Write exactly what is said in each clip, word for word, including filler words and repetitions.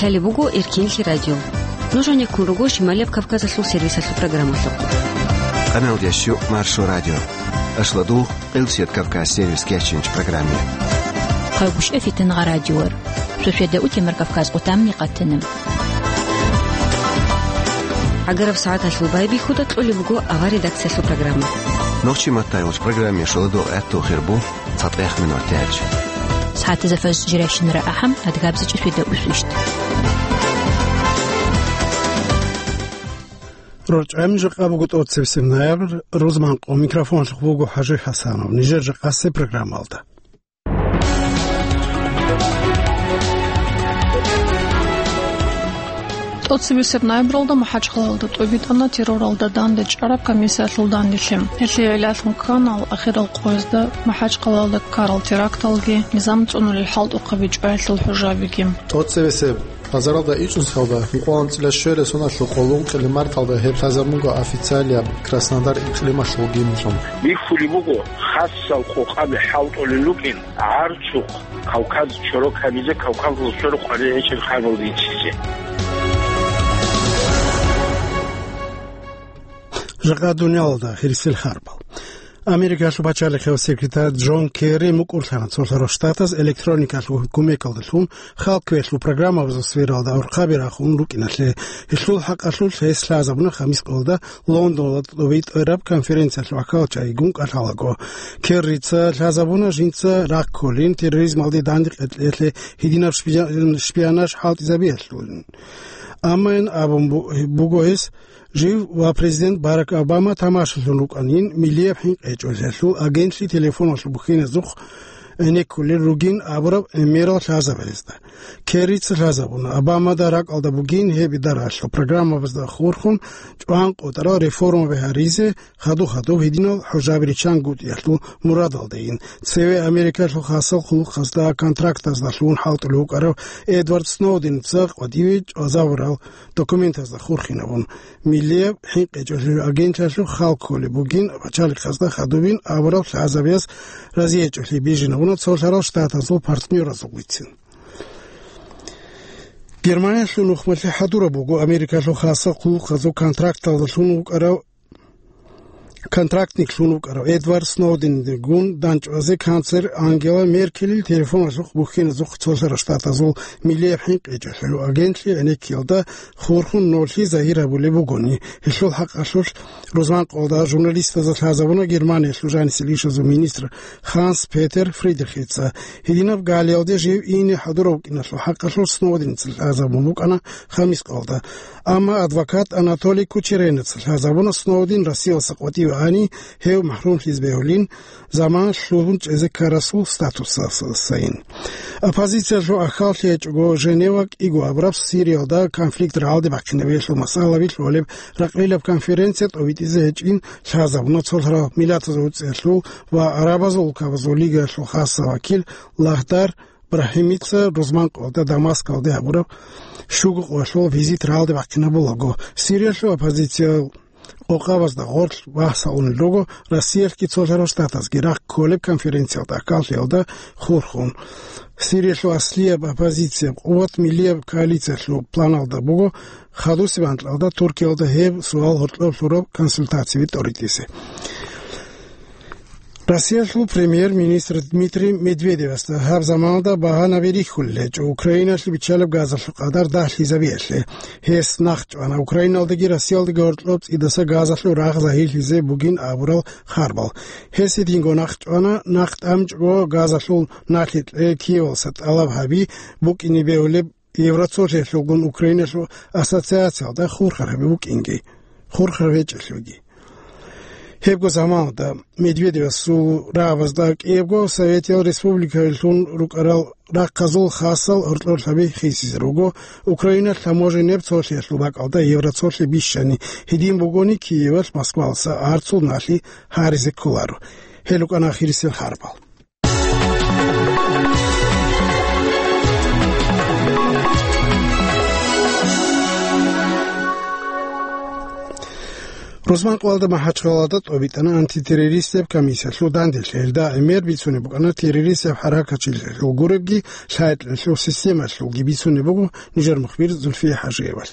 Лъалеб буго Эркинлъи радио. Нуж гьанеккун руго Шималияб Кавказалъул сервисалъул программалъухъ. Къаналдящу Маршо радио. Ашладул, Къилсият Кавказ сервис кечинч программе. Хъайгуща фитангъа радиор. Шошеда утемар Кавказ къутамни къатана. Агараб сагӀаталъул байбихьуда кьолеб буго авар редакциялъул программа. Нохчи маттайгъуч программе шоладул гӀатту хирбу. ЦатӀех минут тяч. СагӀатазда фаз жирайщинара ахӀам, адгабзичӀи фида усвищт. РорчӀами жакъа буго тӀоцебесеб ноябрь, рузманкъо микрофонлъухъ буго ХӀажи ХӀасанов. Нижер жакъасе программалда. ТӀоцебесеб ноябралда МахӀачхъалалда тӀубитӀана терроралда дандечӀараб комиссиялъул данделъи. Гьелъие гӀиллалъун ккана ахирал къоязда МахӀачхъалалда ккарал теракталги, низам цӀунулел хӀалтӀухъаби чӀваялъул хӀужабиги. ТӀоцебесеб азаралда ичӀнусиялда, ункъоялда анцӀила щуялда соналъухъ ункъоялда марталда гьеб лъазабун буго официалияб Краснодар икълималъул гимнлъун. Бихьулеб буго хасал къокъаби хӀалтӀулел рукӀин. ГӀарцухъ Кавказ чорок гьабизе, Кавказалъул чорок къваригӀинчил ханал риччизе. Жакъа дуниялалда хирисел харбал. Америкалъул пачалихъияв секретарь Джон Керри мукӀурлъана цолъарал штатаз электроникалъул кумекалдалъун халкъ квеялъул программабазул сфералда гӀурхъаби рахун рукӀиналъе. Гьелъул хӀакъалъулъ гьес лъазабуна хамис къоялда Лондонда тӀубитӀараб конференциялъул ахӀвал чагӀигун кӀалъалаго. Керрица лъазабуна жинца рахъ кколин терроризмалде данде кьекьеялъе, гьединаб шпиа-, шпионаж хӀалтӀизабиялъулин. Амма ин абун бу-, буго гьес, жив ва президент Барак Обама тамашалъун рукӀанин миллияб хӀинкъи гьечӀолъиялъул агентлъи телефоналъул бухьиназухъ гӀенеккулел ругин абураб гӀемерал лъазабазда. Керрица лъазабуна, Обамада ракӀалда бугин гьеб идараялъул программабазда хурхун чӀван къотӀарал реформаби гьаризе, хадуб-хадуб гьединал хӀужаби риччан гутӀиялъул мурадалдайин. Цеве Америкалъул хасал хъулухъазда контрактаздалъун хӀалтӀулев вукӀарав Эдвард Сноуденца къватӀиве чӀвазабурал документазда хурхинабун, миллияб хӀинкъи гьечӀолъиялъул агентлъиялъухъ халкколеб бугин пачалихъазда хадубин абураб лъазабияз разиячӀолъи бижинабуна цолъарал штатазул партнёразулицин. Германиялъул нухмалъи хӀадураб буго Америкалъул хасал хъулухъазул контракталдалъун вукӀарав, контрактниклъун вукӀарав Эдвард Сноуденигун данчӀвазе канцлер Ангела Меркелил телефоналъухъ бухьиназухъ цолъарал штатазул миллияб хӀинкъи гьечӀолъиялъул агентлъи гӀенеккиялда хурхун нолъи загьир гьабулеб бугони. Гьелъул хӀакъалъулъ рузманкъоялда журналистазда лъазабуна Германиялъул жанисел ишазул министр Ханс-Петер Фридрихица. Гьединаб галиялде жив ине хӀадурав вукӀиналъул хӀакъалъулъ Сноуденца лъазабун букӀана хамис къоялда. Амма адвокат Анатолий Кучеренца лъазабуна Сноуден Россиялдаса къватӀиве ани, гьев махӀрумлъизе бегьулин, заман лъугьун чӀезе ккарасул статусасайин. Оппозициялъул ахӀваллъи гьечӀого Женева кӀиго абураб Сириялда конфликт рагӀалде бахъинабиялъул масъалаби лъолеб ракьрилаб конференция тӀобитӀизе гьечӀин лъазабуна цолъарал миллатазул гӀуцӀиялъул ва ГӀарабазул улкабазул лигаялъул хасаб вакил Лагьдар Брахимица рузманкъоялда Дамаскалде гьабураб щуго къоялъул визит рагӀалде бахъинабулаго. Сириялъул оппозициял къокъабазда гъорлъ вагьсалъунел руго Россиялъги цолъарал штатазги рахъ кколеб конференциялда ахӀваллъиялда хурхун. Сириялъул аслияб оппозицияб къуват миллияб коалициялъул планалда буго, хадусеб анкьалда Туркиялда гьеб суал гьоркьоб лъураб консультациби тӀоритӀизе. Россиялъул премьер-министр Дмитрий Медведевасда гьаб заманалда багьанаби рихьулел гьечӀо Украиналъе биччалеб газалъул къадар дагьлъизабиялъе. Гьес нахъ чӀвана Украиналдаги Россиялдаги гьоркьоб цӀидаса газалъул рагъ загьирлъизе бугин абурал харбал. Гьес гьединго нахъ чӀвана, нахъ тӀамчӀого газалъул налъи кье Киевалъа тӀалаб гьаби букӀине бегьулеб Евроцолъиялъулгун Украиналъул ассоциациялда хурхараб букӀинги, хурхараб гьечӀелъулги. Гьебго заманалда Медведевасул рагӀабазда кӀиябго Советиял Республикаялъун рукӀарал рахъазул хасал гьоркьорлъаби хисизе руго, Украиналъ таможеннияб цолъиялъул бакӀалда Евроцолъи бищани, гьедин бугони Киевалъ Москвалъа гӀарцул налъи гьаризе кколаро. Гьел рукӀана ахирисел харбал. Рузманкъоялда МахӀачхъалаялда тӀобитӀана антитеррористияб комиссиялъул данделъи. Гьелда гӀемер бицунеб букӀана террористияб хӀаракатчилъиялъул гуребги лъайкьиялъул системалъулги бицунеб буго нижер мухбир Зульфия ХӀажиевал.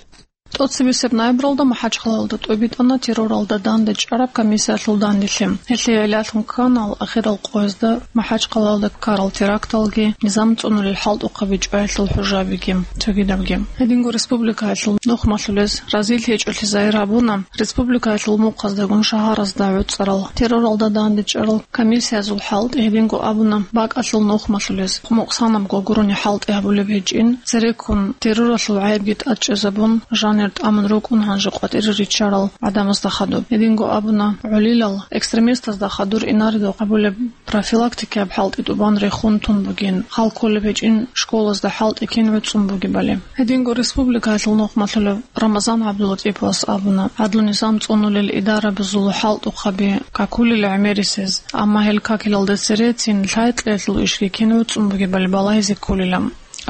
ТӀоцебесеб ноябралда МахӀачхъалаялда тӀобитӀана терроралда дандечӀараб комиссиялъул данделъи. Гьелъие гӀиллалъун ккана ахирал къоязда МахӀачхъалаялда ккарал теракталги, низам цӀунулел хӀалтӀухъаби чӀваялъул хӀужабиги, цогидабги. Гьединго республикаялъул нухмалъулез разилъи гьечӀолъи загьир гьабуна республикаялъул мухъаздагун шагьаразда гӀуцӀарал терроралда дандечӀарал комиссиязул хӀалтӀи. Гьединго абуна бакӀалъул нухмалъулез, мукъсанабго гурони хӀалтӀи гьабулеб гьечӀин, цереккун терроралъул гӀайибги тӀадчӀезабун, жанир тӀамун рукӀун гьанже къватӀире риччарал гӀадамазда хадуб. Гьединго абуна гӀолилал экстремистазда хадур инаредухъ гьабулеб профилактикияб хӀалтӀи тӀубан рехун тун бугин, хал кколеб гьечӀин школазда хӀалтӀи кин гӀуцӀун бугебали. Гьединго республикаялъул нухмалъулев Рамазан ГӀабдулатӀиповас абуна, гӀадлу-низам цӀунулел идарабазул хӀалтӀухъаби какулел гӀемерисез, амма гьел какилалда церецин лъай-кьеялъул ишги кин гӀуцӀун бугебали балагьизе кколила.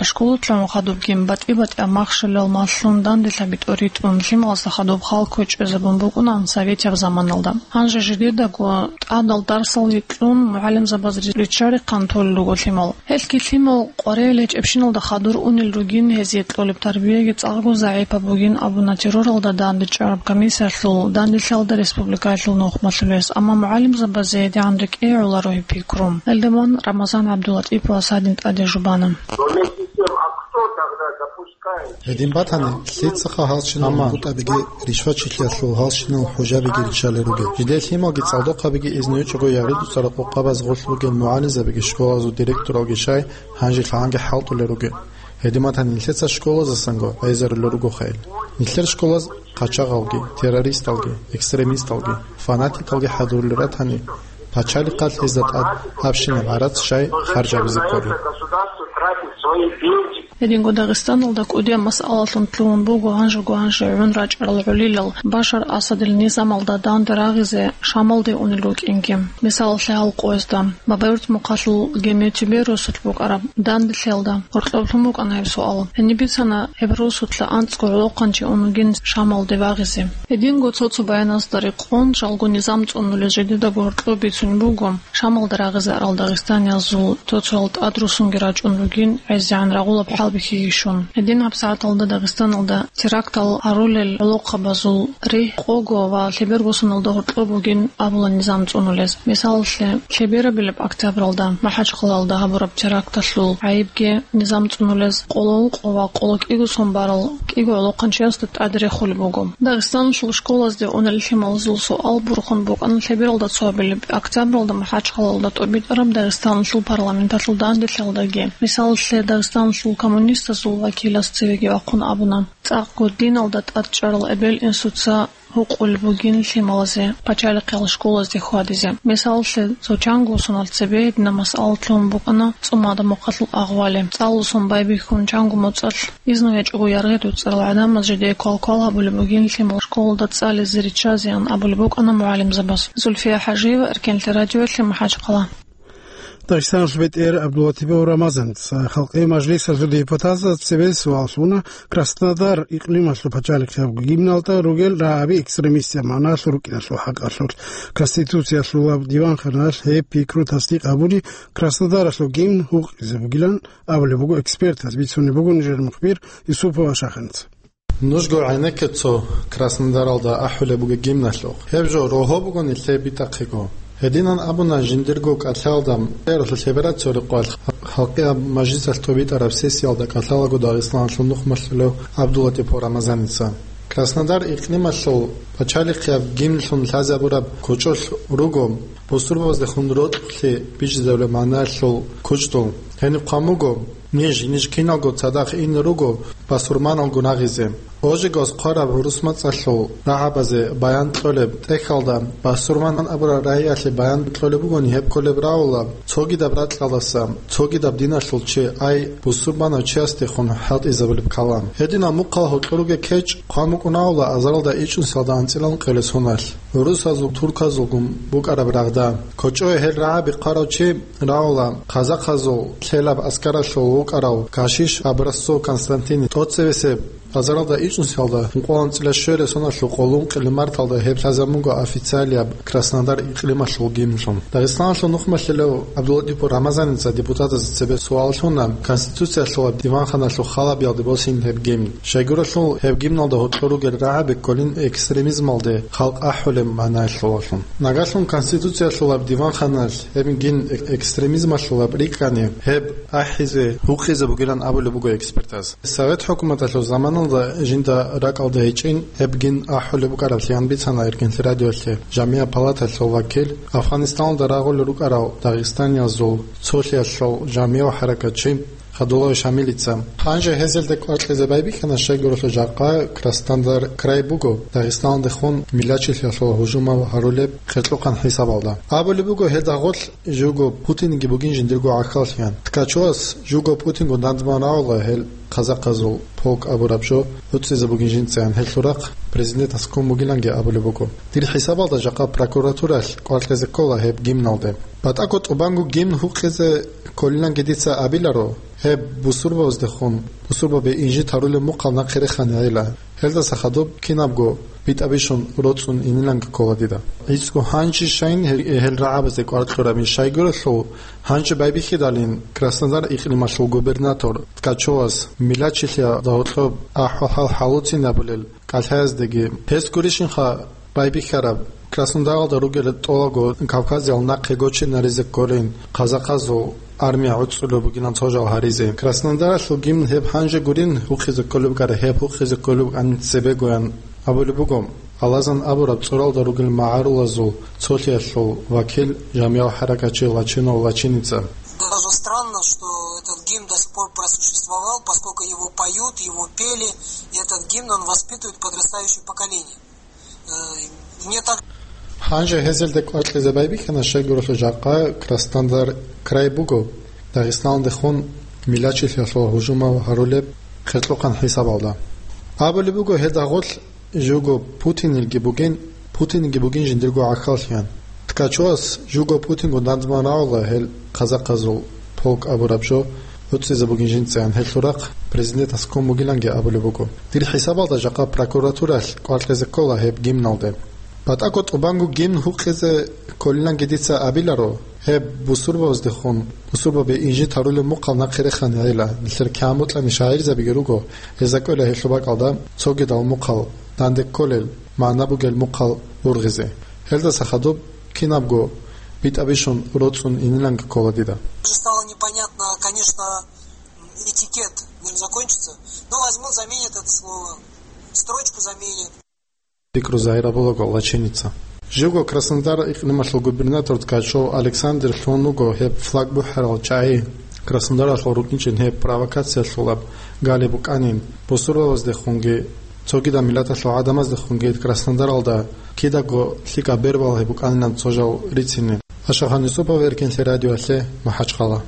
Школалъун хадубгин батӀи-батӀияб махщелал малъун данделъаби тӀоритӀун лъималазда хадуб хал кквечӀезабун букӀунаан советияб заманалда. Гьанже жидедаго тӀадал дарсал йикьун мугӀалимзабаз риччарихъан толел руго лъимал. Гьелъги лъимал къваригӀел гьечӀебщиналда хадур унел ругин, гьезие кьолеб тарбияги цӀакъго загӀипаб бугин абуна терроралда дандечӀараб комиссиялъул данделъиялда республикаялъул нухмалъулес, амма мугӀалимзабазе гьедигӀан рекӀее гӀоларо гьеб пикру. Гьелдаман Рамазан ГӀабдулатӀиповас гьадин тӀаде жубана. Но вместе с тем, а кто тогда допускает? Гьедин батани, лъицаха гьалщинал гутӀабиги, ришвачилъиялъул гьалщинал хӀужабиги риччалел ругел? Жидер лъималги цӀалдохъабиги изну гьечӀого ягъи-дуцӀарал къокъабаз гъорлъ ругел мугӀалимзабиги, школазул директоралги щай гьанже лъагӀанги хӀалтӀулел ругел. Гьедин батани, нилъеца школазасанго гӀезарулел ругоха ил. Нилъер школаз къачагъалги, террористалги, экстремисталги, фанатикалги хӀадурулел ратани, пачалихъалъ гьезда тӀад гьабщинаб гӀарац щай харжабизе кколеб? Гьединго Дагъистаналда кӀудияб масъалалъун лъугьун буго гьанжего гьанже гӀун рачӀарал гӀолилал Башар Асадил низамалда данде рагъизе Шамалде унел рукӀинги. Мисалалъе, гьал къоязда Бабаюрт мухъалъул Геметюбе росулъ букӀараб данделъиялда гьоркьоб лъун букӀана гьеб суал. Гьениб бицана гьеб росулъа анцӀго гӀолохъанчи ун вугин Шамалде вагъизе. Гьединго цо-цо баяназда рекъон, жалго низам цӀунулел жидедаго гьоркьоб бицунеб буго, Шамалда рагъизе арал дагъистаниязул цо-цоял тӀадрусунги рачӀун ругин, гӀезегӀан рагъулаб хӀалбихьиги щун. Гьедин гьабсагӀаталда Дагъистаналда терактал гьарулел гӀолохъабазул ригь къого ва лъеберго соналда гьоркьоб бугин абула низам цӀунулез. Мисалалъе, лъеберабилеб октябралда МахӀачхъалаялда гьабураб теракталъул гӀайибги низам цӀунулез къоло гьукъо ва къоло кӀиго сон барал кӀиго гӀолохъанчиясда тӀаде рехулеб буго. Дагъистаналъул школазде унел лъималазул суал борхун букӀана лъебералда цо гьабилеб октябралда МахӀачхъалаялда тӀобитӀараб Дагъистаналъул парламенталъул данделъиялдаги. Мисалалъе, Дагъистаналъул коммунистазул вакилас цевеги вахъун абуна, цӀакъго диналда тӀадчӀарал эбел-инсуца гьукъулеб бугин лъималазе пачалихъал школазде хьвадизе. Мисалалъе, цо чанго соналъ цебе гьединаб масъала лъугьун букӀана ЦӀумада мухъалъул агъвали. ЦӀалулъ сон байбихьун чанго моцӀалъ изну гьечӀого яргъи-дуцӀарал гӀадамаз жидее квал-квал гьабулеб бугин лъимал школалда цӀализе риччазеян абулеб букӀана мугӀалимзабаз. Зульфия ХӀажиева, Эркенлъи радиоялъе, МахӀачхъала. Дагъистаналъ бетӀер ГӀабдулатипов Рамазаница халкъи мажлисалъул депутатаз цебе суал лъуна Краснодар икълималъул пачалихъияб гимналда ругел рагӀаби экстремистияб магӀналъул рукӀиналъул хӀакъалъулъ. Конституциялъул ва диванханалъ гьеб пикру тасдикъ гьабуни, Краснодаралъул гимн гьукъизе бугилан абулеб буго экспертаз, бицунеб буго нижер мухбир Юсупова Шаханица. Нужго гӀенекке цо Краснодаралда ахӀулеб бугеб гимналъухъ. Гьеб жо рогьо буго нилъее битӀахъего. Гьединан абуна жиндирго кӀалъалда, лъебераб цо рекъвалъ халкъияб мажлисалъ тӀубитӀараб сессиялда кӀалъалаго Дагъистаналъул нухмалъулев ГӀабдулатипов Рамазаница. Краснодар икълималъул пачалихъияб гимнлъун лъазабураб кочӀолъ руго бусурбабаздехун рокьулъе бижизабулеб магӀналъул кучӀдул. Гьениб хъван буго, ниж, ниж киналго цадахъ ине руго басурманалгун рагъизе. Ожегос хъвараб гӀурус мацӀалъул рагӀабазе баян кьолеб тӀехьалда, басурман абураб рагӀиялъе баян кьолеб бугони гьеб кколеб рагӀула цогидаб ракьалдаса, цогидаб диналъул чи, ай, бусурбанав чиясдехун хӀалтӀизабулеб калам. Гьединал мухъал гьоркьор ругел кечӀ хъван букӀунагьула азаралда ичӀнусиялда анцӀила ункъоялда соналъ. ГӀурусазул, турказулгун букӀараб рагъда. КочӀое гьел рагӀаби хъварав чи рагӀула казахъазул лъелаб аскаралъул вукӀарав Кашиш Образцов Константин, тӀоцевесеб Базаралда ичӀнусиялда ункъоялда анцӀила щуераб соналъул къоло ункъияб марталда гьеб лъазабун буго официалияб Краснодар икълималъул гимнлъун. Дагъистаналъул нухмалъулав ГӀабдуллатӀипов Рамазаница депутатазда цебе суал лъуна, Конституциялъулаб диванханалъул халабиялде босин гьеб гимн. Щайгурелъул гьеб гимналда гьоркьор ругел рагӀаби кколин экстремизмалде халкъ ахӀулеб магӀнаялъулалъун. Нагагьлъун Конституциялъулаб диванханалъ гьеб гимн э-, экстремизмалъулаб рикӀкӀани, гьеб ахӀизе, гьукъизе бугилан абулеб буго экспертаз. Совет хӀукуматалъул заманалда жинда ракӀалда гьечӀин гьеб гимн ахӀулеб букӀараблъи бицана Эркенлъи радиоялъе жамигӀат палаталъул вакил, Афганистаналда рагъулел рукӀарал дагъистаниязул цолъиялъул жамигӀав хӀаракатчи Хадулаев Шамилица. Гьанже гьезелде кӀвар кьезе байбихьана, щайгурелъул жакъа Краснодар край буго Дагъистаналдехун миллатчилъиялъул гьужумал гьарулеб хиркьухъан хӀисабалда. Абулеб буго, гьелда гъорлъ живго Путинги бугин жиндирго гӀахьаллъиян. Ткачевас живго Путинго нандман рагӀула гьел казакъазул полк абураб жо гӀуцӀизе бугин жинцаян, гьелъул рахъ президентас ккун бугиланги абулеб буго. Дир хӀисабалда жакъа прокуратуралъ кӀвар кьезе ккола гьеб гимналде. БатӀаго тӀубанго гимн гьукъизе кколиланги дица абиларо, гьеб бусурбабаздехун, бусурбаби инжит гьарулеб мухъал нахъе реханила. Гьелдаса хадуб кинабго битӀа-бищун роцӀцӀун иниланги ккола дида. ГӀицӀго гьанже щайин гьел, гьел рагӀабазде кӀвар кьурабин, щайгурелъул гьанже байбихьидалин Краснодар икълималъул губернатор Ткачевас миллатчилъиялда гьоркьоб ахӀвал-хӀал хӀалуцин абулел кӀалъаяздаги. Гьес гурищинха байбихьараб, Краснодаралда ругел тӀолабго Кавказиял нахъе гочинаризе кколин казакъазул армия гӀуцӀулеб бугилан цо жал гьаризе. Краснодариялъул гимн гьеб гьанже гурин гьукъизе кколеб букӀара, гьеб гьукъизе кколеб букӀанин цебегоян абулеб буго. Алазан абураб цӀуралда ругел магӀарулазул цолъиялъул вакил, жамигӀав хӀаракатчи Лачинов Лачиница. Даже странно, что этот гимн до сих пор просуществовал, поскольку его поют, его пели, и этот гимн, он воспитывает подрастающее поколение. Э, мне так Гьанже гьезелде кӀвар кьезе байбихьана, щайгурелъул жакъа Краснодар край буго Дагъистаналдехун миллатчилъиялъул гьужумал гьарулеб хиркьухъан хӀисабалда. Абулеб буго, гьелда гъорлъ живго Путинилги бугин, Путинги бугин жиндирго гӀахьаллъиян. Ткачевас живго Путинго нандман рагӀула гьел казакъазул полк абураб жо гӀуцӀизе бугин жинцаян, гьелъул рахъ президентас ккун бугиланги абулеб буго. Дир хӀисабалда жакъа прокуратуралъ кӀвар кьезе ккола гьеб гимналде. БатӀаго тӀубанго гимн гьукъизе кколиланги дица абиларо, гьеб бусурбабаздехун, бусурбаби инжит гьарулеб мухъал нахъе реханила, нилъер кигӀан бокьани шагӀирзабиги руго, гьезда кӀвела гьелъул бакӀалда цогидал мухъал данде кколел, магӀна бугел мухъал ургъизе. Гьелдаса хадуб кинабго битӀа-бищун роцӀцӀун иниланги ккола дида. Уже стало непонятно, конечно, этикет, наверное, закончится. Но возьмут, заменят это слово, строчку заменят. Пикру загьир абулаго Лачиница. Живго Краснодар икълималъул губернатор Ткачев Александр лъун вуго гьеб флаг бухӀарал чагӀи. Краснодаралъул рукӀинчӀин гьеб провокациялъулаб гали букӀанин, бусурбабаздехунги цогидал миллаталъул гӀадамаздехунги Краснодаралда кидаго лъикӀаб бер балагьи букӀанилан цо жал рицинин. Ашахан Юсупов, Эркенлъи радиоялъе, МахӀачхъала.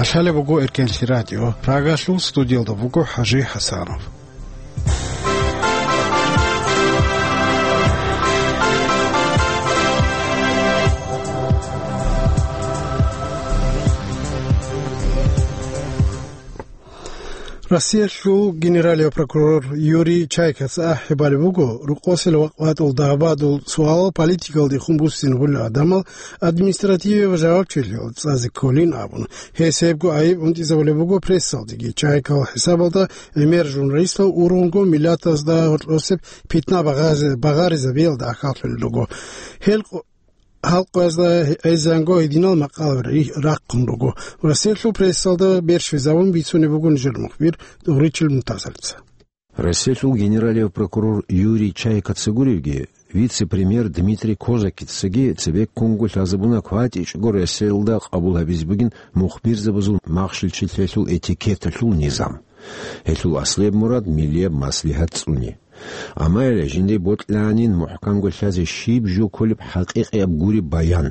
КӀалъалеб буго Эркенлъи радио. Прагалъул студиялда буго ХӀажи ХӀасанов. Россиялъул генералияв прокурор Юрий Чайкаца ахӀи балеб буго, рокъосел вакъбатӀул дагьбадул суалал политикалдехун буссингъулел гӀадамал административияб жавабчилъиялде цӀазе кколин абун. Гьес гьебго айиб гӀунтӀизабулеб буго прессалдеги. Чайкал хӀисабалда гӀемер журналистал ургъунго миллатазда гьоркьосеб питна багъазе-, багъаризабиялда ахӀаллъулел руго. Гьел къо-, халкъазда гьезанго гьединал макъалаби рахъун руго. Россиялъул прессалда берщвезабун бицунеб буго нижер мухбир Догъричил Мунтазалица. Россиялъул генералияв прокурор Юрий Чайкаца гуревги, вице-премьер Дмитрий Козакицаги цебеккунго лъазабуна кватӀичӀого Россиялда къабул гьабизе бугин мухбирзабазул махщелчилъиялъул этикеталъул низам. Гьелъул аслияб мурад миллияб маслигьат цӀуни. Амма гьеле жиндие бокьанин мухӀканго лъазе щиб жо кколеб хӀакъикъияб гуреб баян.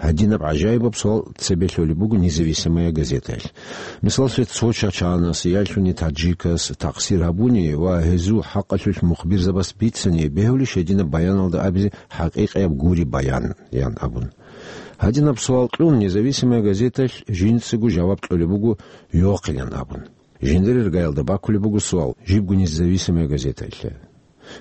Гьадинаб гӀажаибаб суал цебе лъолеб буго «Независимая газетаялъ». Мисаллъе, цо чачагӀанас, ялъуни таджикас, такъсир гьабуни ва гьезул хӀакъалъулъ мухбирзабаз бицани бегьулищ гьединаб баяналда абизе хӀакъикъияб гуреб баян, ян абун. Гьадинаб суал кьун, «Независимая газеталъ» жинцаго жаваб кьолеб буго йохъилан абун. Жиндир иргаялда бакулеб буго суал жибго «Независимая газеталъе».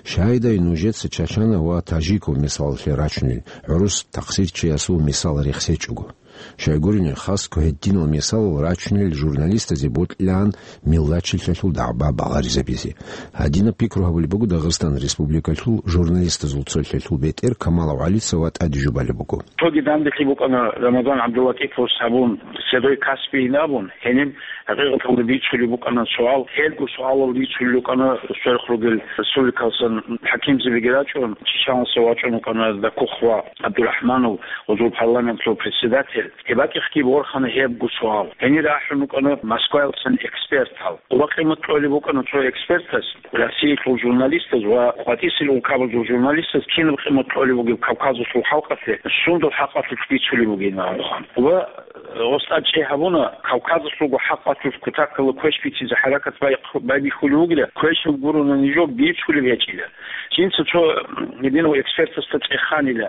Щайдай нужеца Чачанов ва Тажиков мисалалъе рачунел гӀурус тахсирчиясул мисал рехсечӀого? Щайгурине, хасго гьединал мисалал рачунел журналистазе бокьилаан миллатчилъиялъул дагӀба багъаризабизе. Гьадинаб пикру гьабулеб буго Дагъистан Республикалъул журналистазул цолъиялъул бетӀер Камалов ГӀалица ва тӀаде жубалеб буго. Цоги данделъи букӀана Рамазан ГӀабдуллатиповас гьабун, Седой Каспийин абун, гьениб гьакъикъаталда бицулеб букӀана суал, гьелго суалал бицулел рукӀана сверх ругел республикалсан хӀакимзабиги рачӀун, Чечаналъа вачӀун вукӀана Дакух ва ГӀабдурахӀманов, гъозул парламентлъул председатель. Гьеб бакӀихъги борхана гьебго суал. Гьенир ахӀун вукӀана Москваялдасан экспертал. Къо-, къимат кьолеб букӀана цо экспертас, Россиялъул журналистаз ва къватӀисел улкабазул журналистаз кинаб къимат кьолеб бугеб Кавказалъул халкъалъе, сундул хӀакъалъулъ бицулеб бугин абун. Ва, э, гъос тӀад чӀей гьабуна, Кавказалъулго хӀакъалъулъ кутакалда квеш бицизе хӀаракат бай-, байбихьулев вугила, квешаб гурони жо бицулеб гьечӀила. Жинца цо, м, гьединав экспертасда цӀеханила,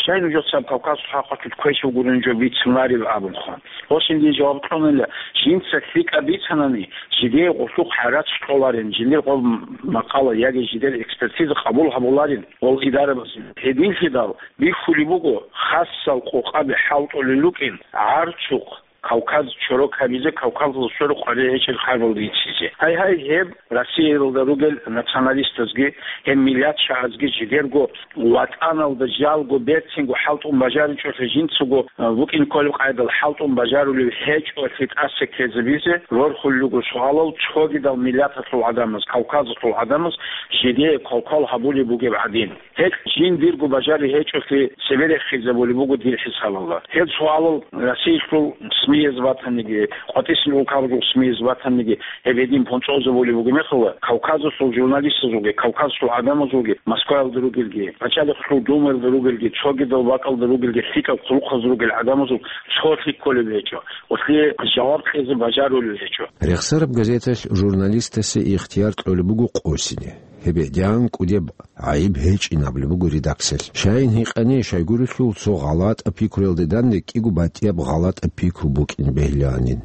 щай нужецаго Кавказалъул хӀакъалъулъ квешаб гурони жо бицунареб абунха. Гьосинде жаваб кьунила, жинца лъикӀаб бицанани, жидее гъулъухъ гӀарац кьоларин, жиндир гъоб макъала яги жидер экспертиза къабул гьабуларин гъол идарабазе. Гьединлъидал бихьулеб буго, хасал къокъаби хӀалтӀулел рукӀин, гӀарцухъ Кавказ чорок гьабизе, Кавказалда сверухъ гьаричӀел хабалда иццизе. Гьай-гьай, гьеб Россиялда ругел националистазги, гьеб миллатчагӀазги жидерго ватӀаналда жалго берцинго хӀалтӀун бажаричӀолъи, жинцаго, а, букӀин кколеб къайдал хӀалтӀун бажарулев гьечӀолъи тӀаса ккезабизе рорхулел руго суалал цогидал миллаталъул гӀадамаз, Кавказалъул гӀадамаз жидее квалквал гьабулеб бугеб гӀадин. Гьелъ жиндирго бажари гьечӀолъи цебе рехизабулеб буго дир хӀисабалда. Гьел суалал Россиялъул СМИяз батаниги, къватӀисел улкабазул СМИяз батаниги, гьеб гьедин понцӀозабулеб бугеб мехалда, Кавказалъул журналистазулги, Кавказалъул гӀадамазулги, Москваялда ругелги, Пачалихъалъул Думаялда ругелги, цогидал бакӀалда ругелги, лъикӀаб хъулухъаз ругел гӀадамазул цолъи кколеб гьечӀо, гьелъие жаваб кьезе бажарулев гьечӀо. Рехсараб газеталъ журналистасе ихтияр кьолеб буго къосине. Гьеб гӀедегӀан кӀудеб гӀайиб гьечӀин абулеб буго редакциялъ. Щайин гьикъани, щайгурелъул цо гъалатӀаб пикруялде данде кӀиго батӀияб гъалатӀаб пикру букӀин бегьилаанин.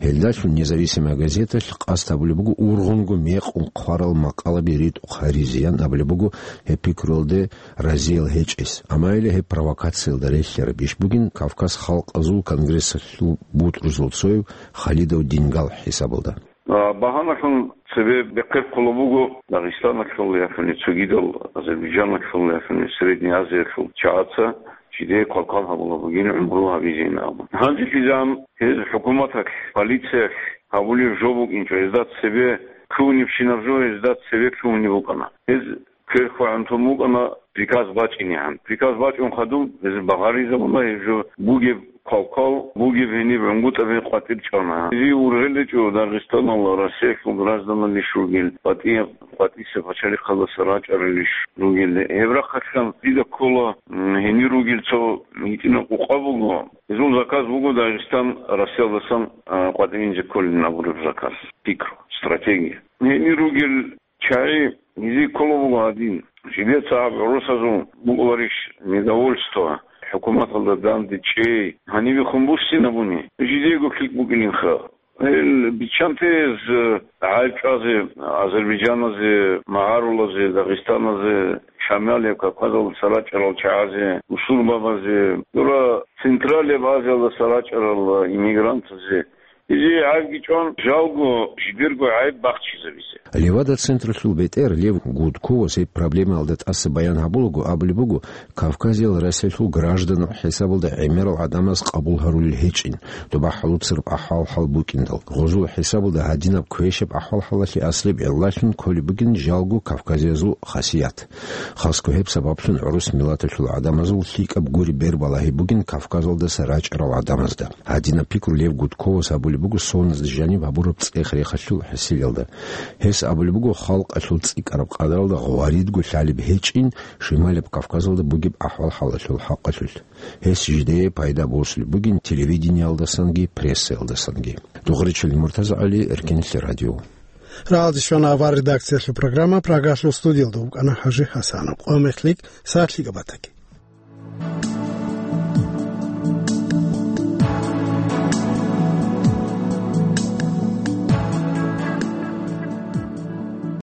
Гьелдалъун «Независимая газеталъ» къасд гьабулеб буго ургъунго мекъун хъварал макъалаби ритӀухъ гьаризеян абулеб буго гьеб пикруялде разиял гьечӀес. Амма гьеле гьеб провокациялда релълъараб иш бугин Кавказ халкъазул конгрессалъул бутӀрузул цояв Халидов Дингал хӀисабалда. А, багьаналъун цебе бехъерхъулеб буго Дагъистаналъул яхуни цогидал Азербайджаналъул яхуни Средняя Азиялъул чагӀаца жидее квалквал гьабулеб бугин гӀумру гьабизейин абун. Гьанже кьижан гьез хӀукуматалъ, полициялъ гьабулеб жо букӀинчӀо, гьезда цебе лъугьунебщинаб жо гьезда цебе лъугьунеб букӀана. Гьез кверхӀвагӀун тун букӀана приказ бачӀинегӀан. Приказ бачӀун хадуб, гьез багъаризабуна, гьеб жо бугеб квалквал, бугеб гьениб гӀунгутӀаби къватӀир чӀвана. Гьезие ургъел гьечӀо Дагъистаналда Россиялъул гражданал иш ругел, къватӀияб, къватӀиса пачалихъалдаса рачӀарал иш ругел. Гьеб рахъалъан дида ккола, м, гьенир ругел цо гьитӀинаб къукъа буго. Гьезул заказ буго Дагъистан Россиялдасан, а, къватӀивинзе кколин абураб заказ, пикру, стратегия. Гьенир ругел чагӀи гьезие кколеб буго гьадин. Жидеца гьаб гӀурусазул букӀуларищ недовольство, хӀукуматалда данде чӀей, гьанибехун буссинабуни, жидеего лъикӀ букӀининха. Гьел биччанте гьез гӀайиб чӀвазе Азербайджаназе, магӀарулазе, Дагъистаназе, Шамалияб Кавказалдаса рачӀарал чагӀазе, бусурбабазе, дура Централияб Азиялдаса рачӀарал иммигрантазе, Гьезие гӀайибги чӀван, жалго жидерго гӀайиб бахчизабизе. Левада-централъул бетӀер Лев Гудковас гьеб проблемаялда тӀаса баян гьабулаго абулеб буго, Кавказиял Россиялъул гражданал хӀисабалда гӀемерал гӀадамаз къабул гьарулел гьечӀин, доба хӀалуцараб ахӀвал-хӀал букӀиндал. Гъозул хӀисабалда гьадинаб квешаб ахӀвал-хӀалалъе аслияб гӀиллалъун кколеб бугин жалго кавказиязул хасият. Хасго гьеб сабаблъун гӀурус миллаталъул гӀадамазул лъикӀаб гури бер балагьи бугин Кавказалдаса рачӀарал гӀадамазда. Гьадинаб пикру Лев Гудковас абулеб буго соназда жаниб гьабураб цӀех-рехалъул хӀисиялда. Гьес абулеб буго, халкъалъул цӀикӀкӀараб къадаралда гъваридго лъалеб гьечӀин Шималияб Кавказалда бугеб ахӀвал-хӀалалъул хӀакъалъулъ. Гьес жидее пайда босулеб бугин телевидениялдасанги прессаялдасанги. Дугъричил МуртазагӀали, Эркинлъи радио. Рагъалде щвана авар редакциялъул программа, Прагалъул студиялда вукӀана ХӀажи ХӀасанов. Къо мехлъи, сагӀат лъикӀаб батаги.